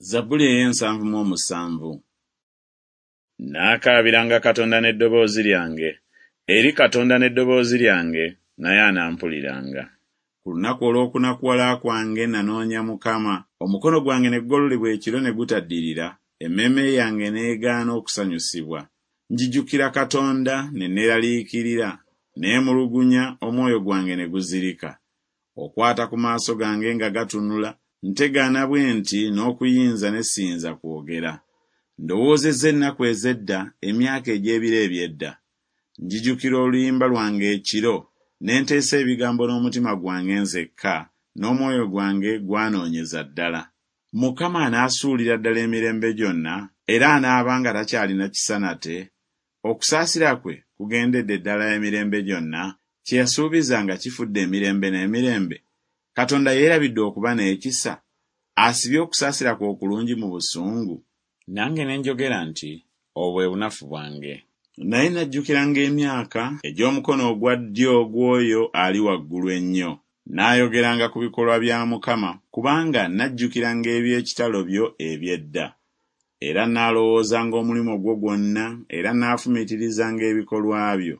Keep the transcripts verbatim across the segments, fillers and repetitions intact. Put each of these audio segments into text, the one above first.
Zabbuli ey'ensanvu mu omusanvu. Nnaakaabiranga Katonda n'eddoboozi lyange, eri Katonda n'eddoboozi lyange, naye anampuliranga. Ku lunaku olw'okunakuwala kwange nanoonya Mukama, omukono gwange ne gugololebwa ekiro ne gutaddirira, emmeeme yange n'egaana okusanyusibwa. Njijukira Katonda ne neeraliikirira, neemulugunya, omwoyo gwange ne guzirika. Okwata ku maaso gange nga gatunula, ntegaana bwe nti n'okuyinza ne siyinza kwogera. Ndowoozezza ennaku ez'edda, emyaka egy'ebiro eby'edda. Njijukira oluyimba lwange ekiro, ne nteesa ebigambo n'omutima gwange nzekka, n'omwoyo gwange gwanoonyeza ddala. Mukama anaasuulira ddala emirembe gyonna, era anaaba nga takyalina kisa nate? Okusaasira kwe kugendedde ddala emirembe gyonna? Kye yasuubiza nga kifudde emirembe n'emirembe? Katonda yeerabidde okuba n'ekisa? Asibye okusaasira kwe okulungi mu busungu? Nange ne njogera nti, Obwo bwe bunafu bwange. Naye najjukiranga emyaka egy'omukono ogwa ddyo ogw'oyo Ali Waggulu Ennyo. Naayogeranga ku bikolwa bya Mukama, kubanga najjukiranga eby'ekitalo byo eby'edda. Era naalowoozanga omulimu gwo gwonna, era naafumiitirizanga ebikolwa byo.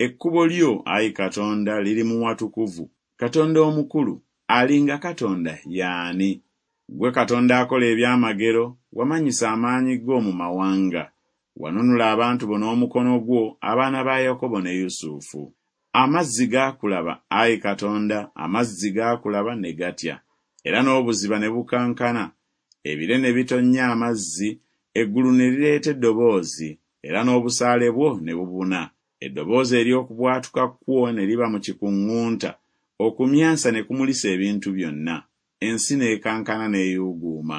Ekkubo lyo, ayi Katonda, liri mu watukuvu. Katonda omukulu, alinga Katonda ye ani? Ggwe Katonda akola eby'amagero, wamanyisa amaanyi go mu mawanga. Wanunula abantu bo n'omukono gwo, abaana ba Yakobo ne Yusufu. Amazzi gaakulaba, ayi Katonda, amazzi gaakulaba ne gatya, era n'obuziba ne bukankana. Ebire ne bitonnya amazzi, eggulu ne lireeta eddoboozi, era n'obusaale bwo ne bubuna. Eddoboozi ery'okubwatuka kwo ne liba mu kikuŋŋunta, okumyansa ne kumulisa ebintu byonna, ensi n'ekankana n'eyuuguuma.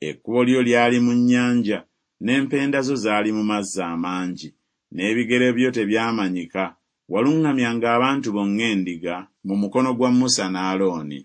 Ekkubo lyo lyali mu nnyanja, n'empenda zo zaali mu mazzi amangi, n'ebigere byo tebyamanyika. Waluŋŋamyanga abantu bo ng'endiga mu mukono gwa Musa ne Alooni.